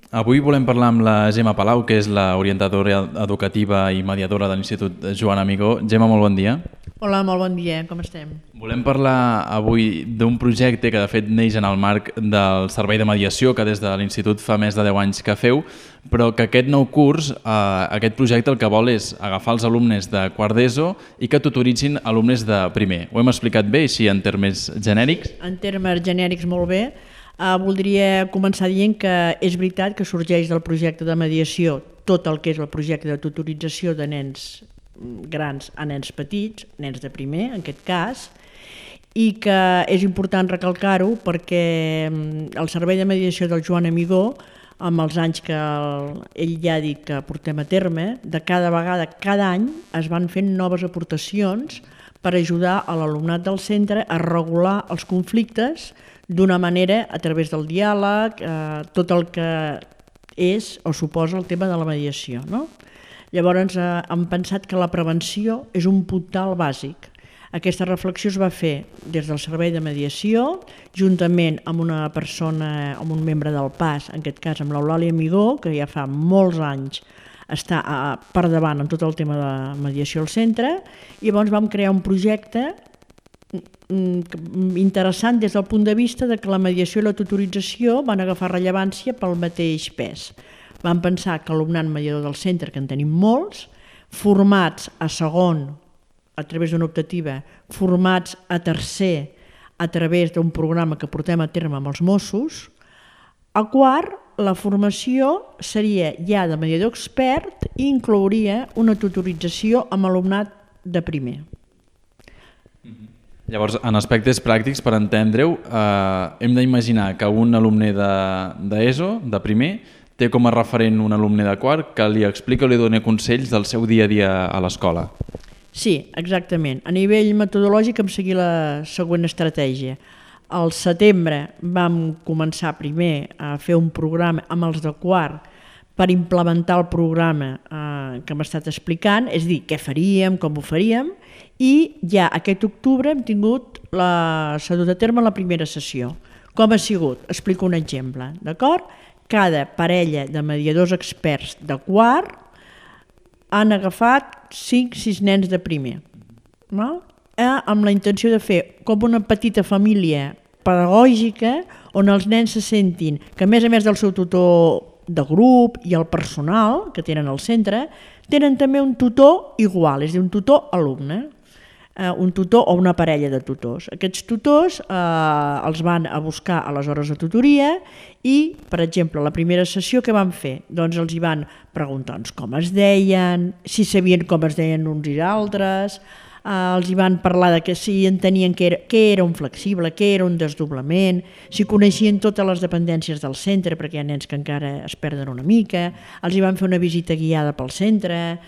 Avui volem parlar amb la Gemma Palau, que és l'orientadora educativa i mediadora de l'Institut Joan Amigó. Gemma, molt bon dia. Hola, molt bon dia, com estem? Volem parlar avui d'un projecte que de fet neix en el marc del servei de mediació que des de l'Institut fa més de 10 anys que feu, però que aquest nou curs, aquest projecte el que vol és agafar els alumnes de quart d'ESO i que tutoritzin alumnes de primer. Ho hem explicat bé, així en termes genèrics? En termes genèrics molt bé. Voldria començar dient que és veritat que sorgeix del projecte de mediació tot el que és el projecte de tutorització de nens grans a nens petits, nens de primer en aquest cas, i que és important recalcar-ho perquè el servei de mediació del Joan Amigó, amb els anys que ell ja ha dit que portem a terme, de cada vegada, cada any es van fent noves aportacions per ajudar a l'alumnat del centre a regular els conflictes d'una manera a través del diàleg, tot el que és o suposa el tema de la mediació, no? Llavors hem pensat que la prevenció és un puntal bàsic. Aquesta reflexió es va fer des del servei de mediació, juntament amb una persona, amb un membre del PAS, en aquest cas amb l'Eulàlia Amigó, que ja fa molts anys està per davant en tot el tema de mediació al centre, i llavors vam crear un projecte interessant des del punt de vista de que la mediació i la tutorització van agafar rellevància pel mateix pes. Vam pensar que l'alumnat mediador del centre, que en tenim molts, formats a segon a través d'una optativa, formats a tercer a través d'un programa que portem a terme amb els Mossos, a quart la formació seria ja de mediador expert i inclouria una tutorització amb alumnat de primer. Llavors, en aspectes pràctics, per entendre-ho, hem d'imaginar que un alumne d'ESO, de primer, té com a referent un alumne de quart que li explica o li dona consells del seu dia a dia a l'escola. Sí, exactament. A nivell metodològic hem seguit la següent estratègia. Al setembre vam començar primer a fer un programa amb els de quart per implementar el programa que hem estat explicant, és a dir, què faríem, com ho faríem, i ja aquest octubre hem s'ha dut a terme la primera sessió. Com ha sigut? Explico un exemple, d'acord? Cada parella de mediadors experts de quart han agafat 5-6 nens de primer, amb la intenció de fer com una petita família pedagògica on els nens se sentin que a més del seu tutor de grup i el personal que tenen al centre, tenen també un tutor igual, és a dir, un tutor alumne, un tutor o una parella de tutors. Aquests tutors els van a buscar a les hores de tutoria i, per exemple, la primera sessió que van fer? Doncs els hi van preguntar com es deien, si sabien com es deien uns i altres, els hi van parlar de que si entenien què era un flexible, què era un desdoblament, si coneixien totes les dependències del centre, perquè hi ha nens que encara es perden una mica, els hi van fer una visita guiada pel centre.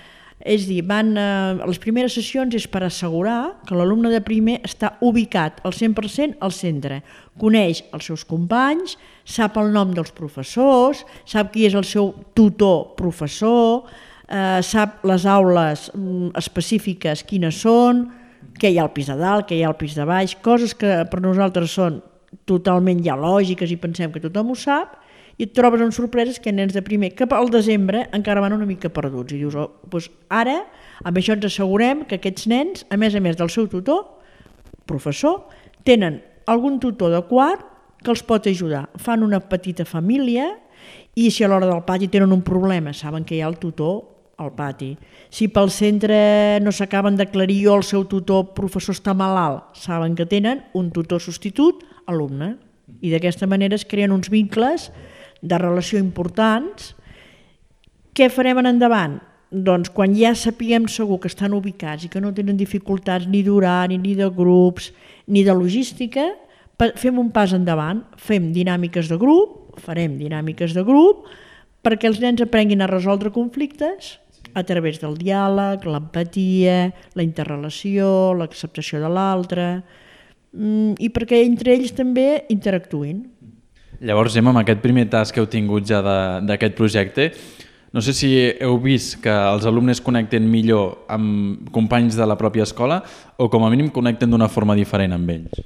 És a dir, les primeres sessions és per assegurar que l'alumne de primer està ubicat al 100% al centre, coneix els seus companys, sap el nom dels professors, sap qui és el seu tutor professor, sap les aules específiques quines són, què hi ha al pis de dalt, què hi ha al pis de baix, coses que per nosaltres són totalment ja lògiques i pensem que tothom ho sap, i et trobes amb sorpreses que nens de primer que al desembre encara van una mica perduts i dius, doncs ara amb això ens assegurem que aquests nens, a més del seu tutor, professor, tenen algun tutor de quart que els pot ajudar. Fan una petita família i si a l'hora del pati tenen un problema saben que hi ha el tutor al pati. Si pel centre no s'acaben d'aclarir o el seu tutor professor està malalt, saben que tenen un tutor substitut alumne i d'aquesta manera es creen uns vincles de relació importants. Què farem en endavant? Doncs quan ja sapiguem segur que estan ubicats i que no tenen dificultats ni d'horari, ni de grups, ni de logística, fem un pas endavant, fem dinàmiques de grup, farem dinàmiques de grup perquè els nens aprenguin a resoldre conflictes a través del diàleg, l'empatia, la interrelació, l'acceptació de l'altre i perquè entre ells també interactuïn. Llavors, Gemma, amb aquest primer tas que heu tingut ja d'aquest projecte, no sé si heu vist que els alumnes connecten millor amb companys de la pròpia escola o com a mínim connecten d'una forma diferent amb ells.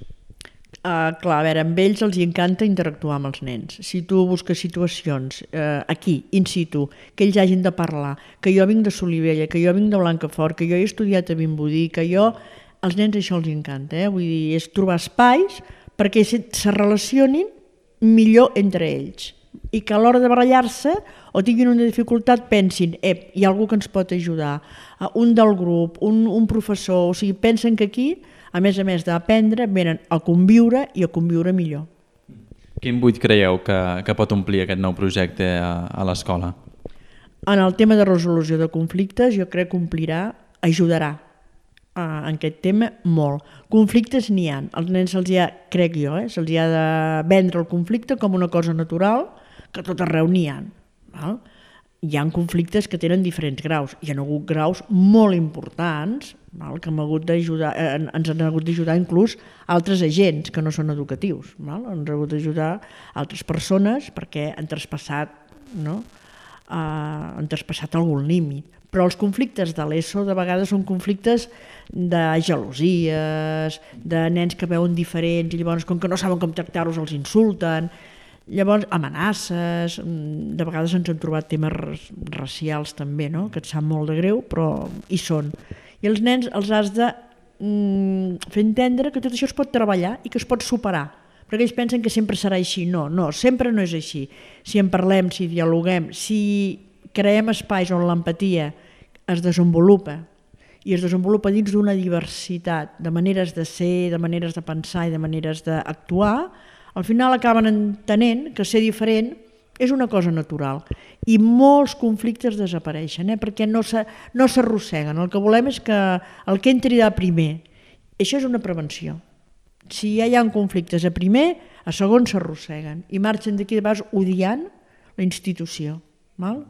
Clar, a veure, amb ells els encanta interactuar amb els nens. Si tu busques situacions aquí, in situ, que ells hagin de parlar, que jo vinc de Solivella, que jo vinc de Blancafort, que jo he estudiat a Vimbodí, que jo... Als nens això els encanta, Vull dir, és trobar espais perquè se relacionin millor entre ells i que a l'hora de barallar-se o tinguin una dificultat pensin hi ha algú que ens pot ajudar, un del grup, un professor, o sigui, pensen que aquí, a més d'aprendre, venen a conviure i a conviure millor. Quin buit creieu que pot omplir aquest nou projecte a l'escola? En el tema de resolució de conflictes jo crec que ajudarà en aquest tema molt. Conflictes n'hi ha. Als nens se'ls ha, crec jo, se'ls ha de vendre el conflicte com una cosa natural, que tot arreu n'hi ha. Val? Hi ha conflictes que tenen diferents graus. Hi ha hagut graus molt importants, val? Que ens han hagut d'ajudar inclús altres agents que no són educatius. Val? Ens han hagut d'ajudar altres persones perquè han traspassat, no? Han traspassat algun límit. Però els conflictes de l'ESO de vegades són conflictes de gelosies, de nens que veuen diferents i llavors com que no saben com tractar-los els insulten, llavors amenaces, de vegades ens hem trobat temes racials també, no? Que et sap molt de greu, però hi són. I els nens els has de fer entendre que tot això es pot treballar i que es pot superar, perquè ells pensen que sempre serà així. No, sempre no és així. Si en parlem, si dialoguem, si creem espais on l'empatia es desenvolupa i es desenvolupa dins d'una diversitat de maneres de ser, de maneres de pensar i de maneres d'actuar, al final acaben entenent que ser diferent és una cosa natural i molts conflictes desapareixen perquè no s'arrosseguen. El que volem és que el que entri de primer, això és una prevenció. Si ja hi ha conflictes a primer, a segon s'arrosseguen i marxen d'aquí de vegades odiant la institució. Val?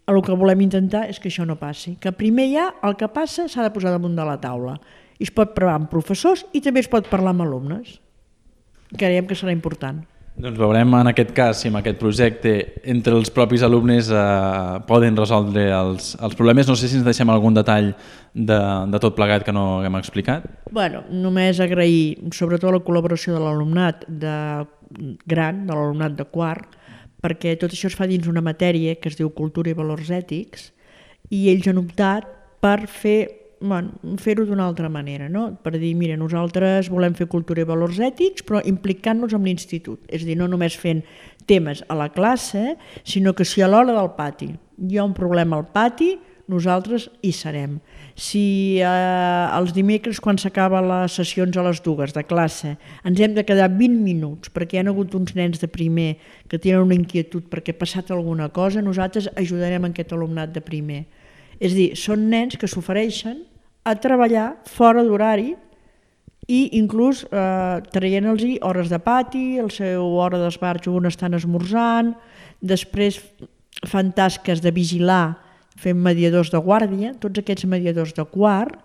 El que volem intentar és que això no passi, que primer ja el que passa s'ha de posar damunt de la taula. I es pot parlar amb professors i també es pot parlar amb alumnes. Creiem que serà important. Doncs veurem en aquest cas si amb aquest projecte entre els propis alumnes poden resoldre els problemes. No sé si ens deixem algun detall de tot plegat que no haguem explicat. Bueno, només agrair sobretot la col·laboració de l'alumnat gran, de l'alumnat de quart, perquè tot això es fa dins una matèria que es diu Cultura i Valors Ètics i ells han optat per fer-ho d'una altra manera, no? Per dir, mira, nosaltres volem fer cultura i valors ètics però implicant-nos amb l'institut, és a dir, no només fent temes a la classe, sinó que si a l'hora del pati hi ha un problema al pati, nosaltres hi serem. Si els dimecres quan s'acaben les sessions a les 2 de classe ens hem de quedar 20 minuts perquè hi ha hagut uns nens de primer que tenen una inquietud perquè ha passat alguna cosa, nosaltres ajudarem aquest alumnat de primer. És a dir, són nens que s'ofereixen a treballar fora d'horari i inclús traient-los hores de pati, la seva hora d'esbarjo on estan esmorzant, després fan tasques de vigilar fent mediadors de guàrdia, tots aquests mediadors de quart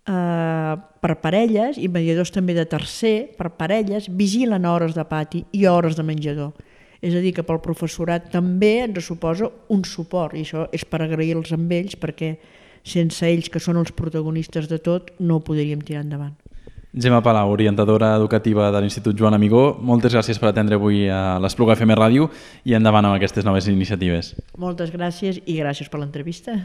per parelles i mediadors també de tercer per parelles, vigilen a hores de pati i a hores de menjador. És a dir, que pel professorat també ens suposa un suport i això és per agrair-los amb ells perquè sense ells, que són els protagonistes de tot, no ho podríem tirar endavant. Gemma Palau, orientadora educativa de l'Institut Joan Amigó, moltes gràcies per atendre avui a l'Espluga FM Ràdio i endavant amb aquestes noves iniciatives. Moltes gràcies i gràcies per l'entrevista.